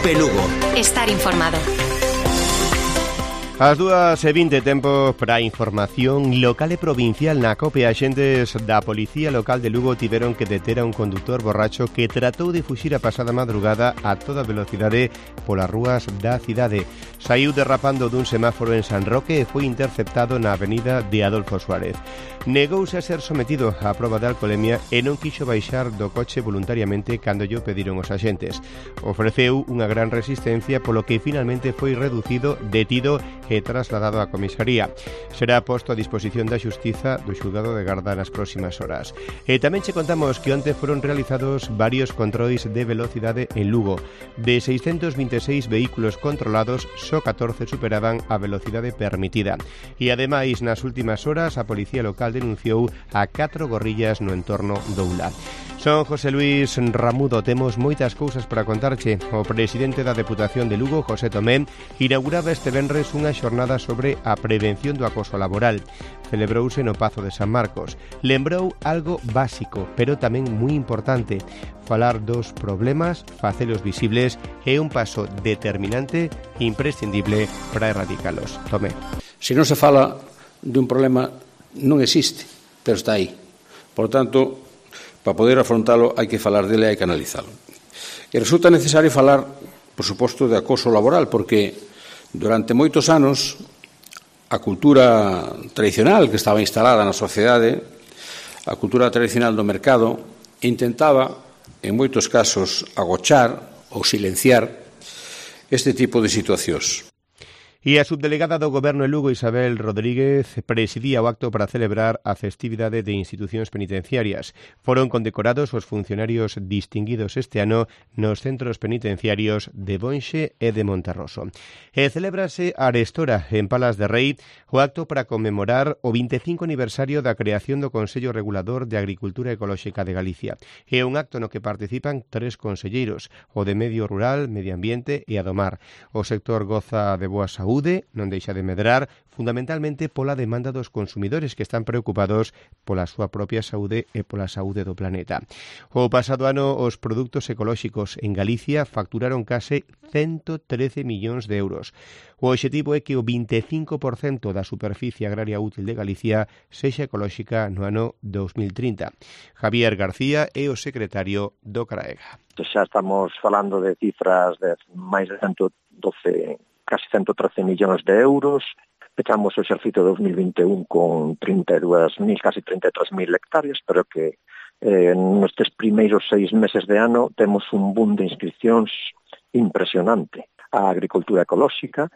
COPE Lugo. Estar informado. As 2:20, tempo para a información local e provincial na COPE. Axentes da Policía Local de Lugo tiveron que deter a un conductor borracho que tratou de fuxir a pasada madrugada a toda velocidade polas rúas da cidade. Saiu derrapando dun semáforo en San Roque e foi interceptado na avenida de Adolfo Suárez. Negouse a ser sometido á proba de alcolemia e non quixo baixar do coche voluntariamente cando llo pediron os axentes. Ofreceu unha gran resistencia, polo que finalmente foi reducido, detido e trasladado á comisaría. Será posto a disposición da Xustiza do Xulgado de Garda nas próximas horas. E tamén che contamos que onte foron realizados varios controis de velocidade en Lugo. De 626 vehículos controlados, só 14 superaban a velocidade permitida. E ademais, nas últimas horas, a Policía Local denunciou a 4 gorrillas no entorno do Ula. Son José Luis Ramudo, temos moitas cousas para contarche. O presidente da Deputación de Lugo, José Tomé, inauguraba este venres unha xornada sobre a prevención do acoso laboral. Celebrouse no Pazo de San Marcos. Lembrou algo básico, pero tamén moi importante: falar dos problemas, facelos visibles é un paso determinante e imprescindible para erradicalos. Tomé. Se non se fala de un problema, non existe, pero está aí. Por tanto, para poder afrontalo hai que falar dele e hai que analizalo. E resulta necesario falar, por suposto, de acoso laboral, porque durante moitos anos a cultura tradicional que estaba instalada na sociedade, a cultura tradicional do mercado, intentaba, en moitos casos, agochar ou silenciar este tipo de situacións. E a subdelegada do Goberno en Lugo, Isabel Rodríguez, presidía o acto para celebrar a festividade de institucións penitenciarias. Foron condecorados os funcionarios distinguidos este ano nos centros penitenciarios de Bonxe e de Monterroso. E celébrase a Arestora, en Palas de Rei, o acto para conmemorar o 25 aniversario da creación do Consello Regulador de Agricultura Ecolóxica de Galicia. É un acto no que participan 3 conselleiros, o de Medio Rural, Medio Ambiente e a do Mar. O sector goza de boa saúde, non deixa de medrar, fundamentalmente pola demanda dos consumidores que están preocupados pola súa propia saúde e pola saúde do planeta. O pasado ano, os produtos ecolóxicos en Galicia facturaron case 113 millóns de euros. O obxectivo é que o 25% da superficie agraria útil de Galicia sexa ecolóxica no ano 2030. Javier García é o secretario do CRAEGA. Xa estamos falando de cifras de máis de 112, casi 113 millóns de euros. Pechamos o exercicio 2021 con 32.000, casi 33.000 hectáreas, pero que nestes primeiros 6 meses de ano temos un boom de inscripcións impresionante. A agricultura ecolóxica,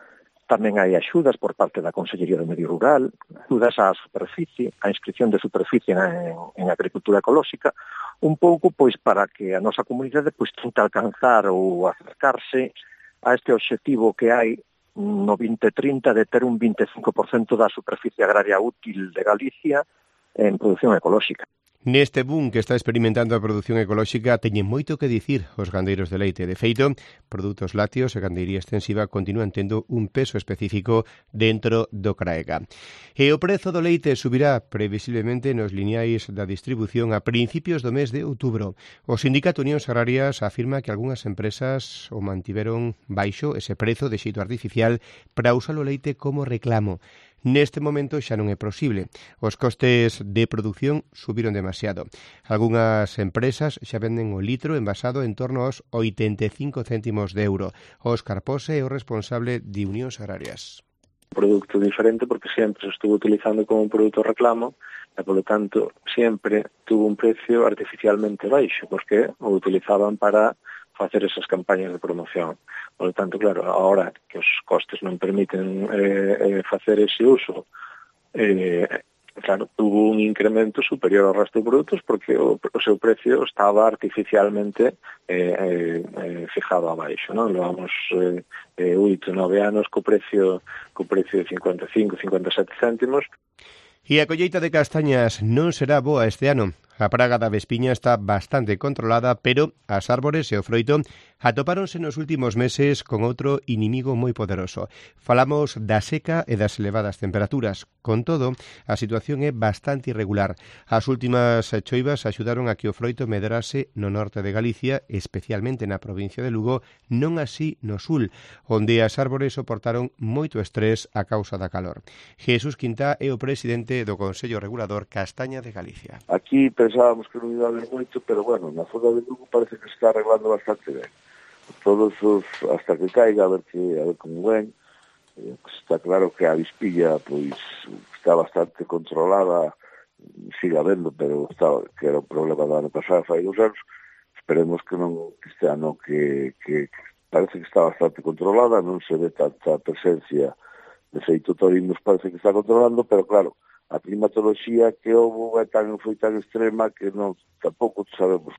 tamén hai axudas por parte da Consellería do Medio Rural, axudas á superficie, a inscripción de superficie en agricultura ecolóxica, un pouco pois para que a nosa comunidade pois tente alcanzar ou acercarse a este obxectivo que hai no 2030 de ter un 25% da superficie agraria útil de Galicia en produción ecolóxica. Neste boom que está experimentando a produción ecolóxica teñen moito que dicir os gandeiros de leite. De feito, produtos lácteos e gandeiría extensiva continúan tendo un peso específico dentro do CRAEGA. E o prezo do leite subirá previsiblemente nos lineais da distribución a principios do mes de outubro. O Sindicato Unións Agrarias afirma que algunhas empresas o mantiveron baixo ese prezo de xeito artificial para usar o leite como reclamo. Neste momento xa non é posible. Os costes de produción subiron demasiado. Algunhas empresas xa venden o litro envasado en torno aos 85 céntimos de euro. Óscar Pose é o responsable de Unións Agrarias. Un produto diferente porque sempre se estuvo utilizando como un produto reclamo e, polo tanto, sempre tuvo un precio artificialmente baixo porque o utilizaban para facer esas campañas de promoción. Por lo tanto, claro, ahora que os costes non permiten facer ese uso, claro, tuvo un incremento superior ao resto de produtos porque o seu precio estaba artificialmente fijado abaixo, non? Levamos 8-9 anos co precio de 55-57 céntimos. E a colleita de castañas non será boa este ano. A praga da vespiña está bastante controlada, pero as árbores e o froito atopáronse nos últimos meses con outro inimigo moi poderoso. Falamos da seca e das elevadas temperaturas. Con todo, a situación é bastante irregular. As últimas choivas axudaron a que o froito medrase no norte de Galicia, especialmente na provincia de Lugo, non así no sul, onde as árbores soportaron moito estrés a causa da calor. Jesús Quintá é o presidente do Consello Regulador Castaña de Galicia. Aquí pensábamos que non iba a haber moito, pero bueno, na zona de Lugo parece que se está arreglando bastante ben. Todos os, hasta que caiga, a ver como ven. Está claro que a vispilla pois está bastante controlada, sigue habendo, pero que era un problema do ano pasado, fai 2 anos. Esperemos que non este ano que parece que está bastante controlada, non se ve tanta presencia de feito torinos, parece que está controlando, pero claro, a climatoloxía que houve foi tan extrema que non tampouco sabemos.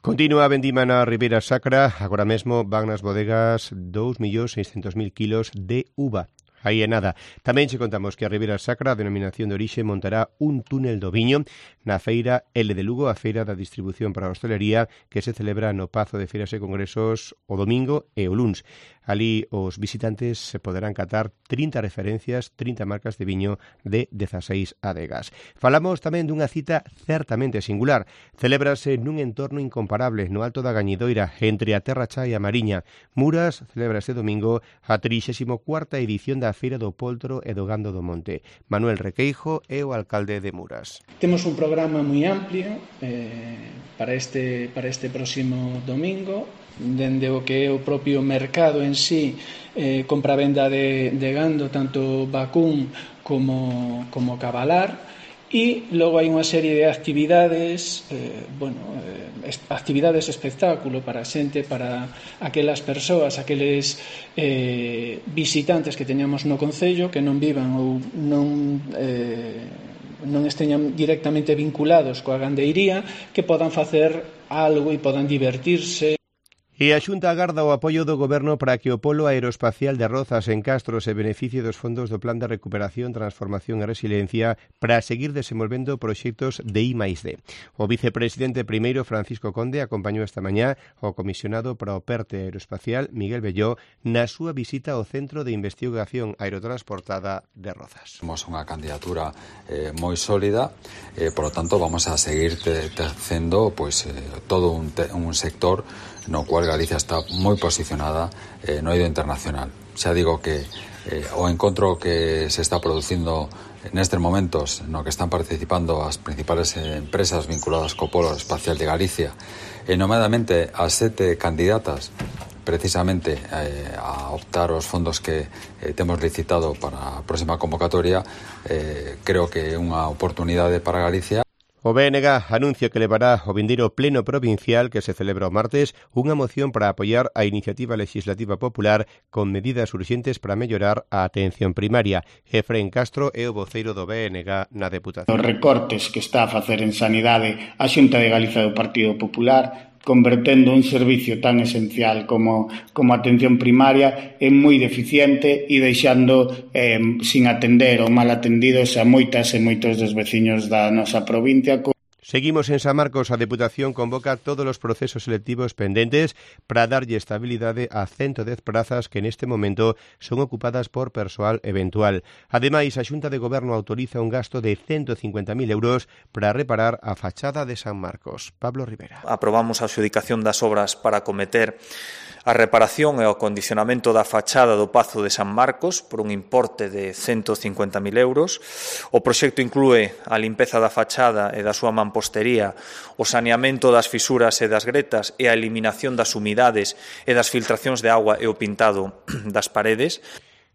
Continúa a vendima na Ribeira Sacra, agora mesmo van nas bodegas 2.600.000 kilos de uva. Aí é nada. Tamén che contamos que a Ribeira Sacra, a denominación de orixe, montará un túnel do viño na feira L de Lugo, a feira da distribución para a hostelería que se celebra no Pazo de Feiras e Congresos o domingo e o luns. Ali os visitantes se poderán catar 30 referencias, 30 marcas de viño de 16 adegas. Falamos tamén dunha cita certamente singular. Celébrase nun entorno incomparable no Alto da Gañidoira, entre a Terra Cha e a Mariña. Muras celebra este domingo a 34ª edición da Feira do Poltro e do Gando do Monte. Manuel Requeijo é o alcalde de Muras. Temos un programa moi amplio para este próximo domingo, dende o que é o propio mercado en sí, compra-venda de gando, tanto vacún como cabalar, e logo hai unha serie de actividades, actividades espectáculo para a xente, para aquelas persoas, aqueles visitantes que teñamos no concello que non vivan ou non esteñan directamente vinculados coa gandeiría, que podan facer algo e podan divertirse. E a Xunta agarda o apoio do Goberno para que o Polo Aeroespacial de Rozas en Castro se beneficie dos fondos do Plan de Recuperación, Transformación e Resiliencia para seguir desenvolvendo proxectos de I+D. O vicepresidente primeiro, Francisco Conde, acompañou esta mañá o comisionado para o PERTE Aeroespacial, Miguel Belló, na súa visita ao Centro de Investigación Aerotransportada de Rozas. Somos unha candidatura moi sólida, por lo tanto vamos a seguir tecendo todo un sector no cual Galicia está moi posicionada no eido internacional. Xa digo que o encontro que se está producindo nestes momentos no que están participando as principales empresas vinculadas co Polo Espacial de Galicia, nomeadamente as 7 candidatas precisamente a optar os fondos que temos licitado para a próxima convocatoria, creo que é unha oportunidade para Galicia. O BNG anuncia que levará ao vindeiro pleno provincial que se celebra o martes unha moción para apoiar a iniciativa legislativa popular con medidas urxentes para mellorar a atención primaria. Efrén Castro é o voceiro do BNG na Deputación. Os recortes que está a facer en sanidade a Xunta de Galicia do Partido Popular, convertendo un servicio tan esencial como a atención primaria en moi deficiente e deixando sin atender ou mal atendidos a moitas e moitos dos veciños da nosa provincia. Seguimos en San Marcos. A Deputación convoca todos os procesos selectivos pendentes para darlle estabilidade a 110 prazas que neste momento son ocupadas por persoal eventual. Ademais, a Xunta de Goberno autoriza un gasto de 150.000 euros para reparar a fachada de San Marcos. Pablo Rivera. Aprobamos a adxudicación das obras para acometer a reparación e o acondicionamento da fachada do Pazo de San Marcos por un importe de 150.000 euros. O proxecto inclúe a limpeza da fachada e da súa mampostería, o saneamento das fisuras e das gretas e a eliminación das humidades e das filtracións de agua e o pintado das paredes.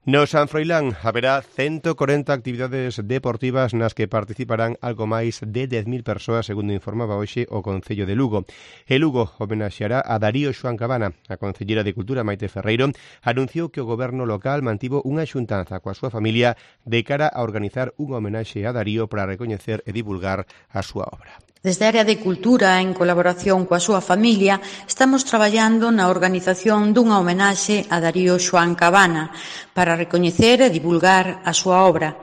No San Froilán haberá 140 actividades deportivas nas que participarán algo máis de 10.000 persoas, segundo informaba hoxe o Concello de Lugo. E Lugo homenaxeará a Darío Xoán Cabana. A Concellera de Cultura, Maite Ferreiro, anunciou que o goberno local mantivo unha xuntanza coa súa familia de cara a organizar unha homenaxe a Darío para recoñecer e divulgar a súa obra. Desde a área de Cultura, en colaboración coa súa familia, estamos traballando na organización dunha homenaxe a Darío Xoán Cabana para recoñecer e divulgar a súa obra.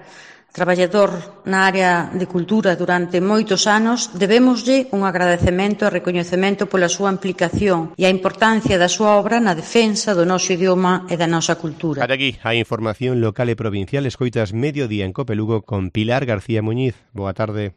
traballador na área de cultura durante moitos anos, debémoslle un agradecemento e recoñecemento pola súa implicación e a importancia da súa obra na defensa do noso idioma e da nosa cultura. Ata aquí a información local e provincial. Escoitas Mediodía en Cope Lugo con Pilar García Muñiz. Boa tarde.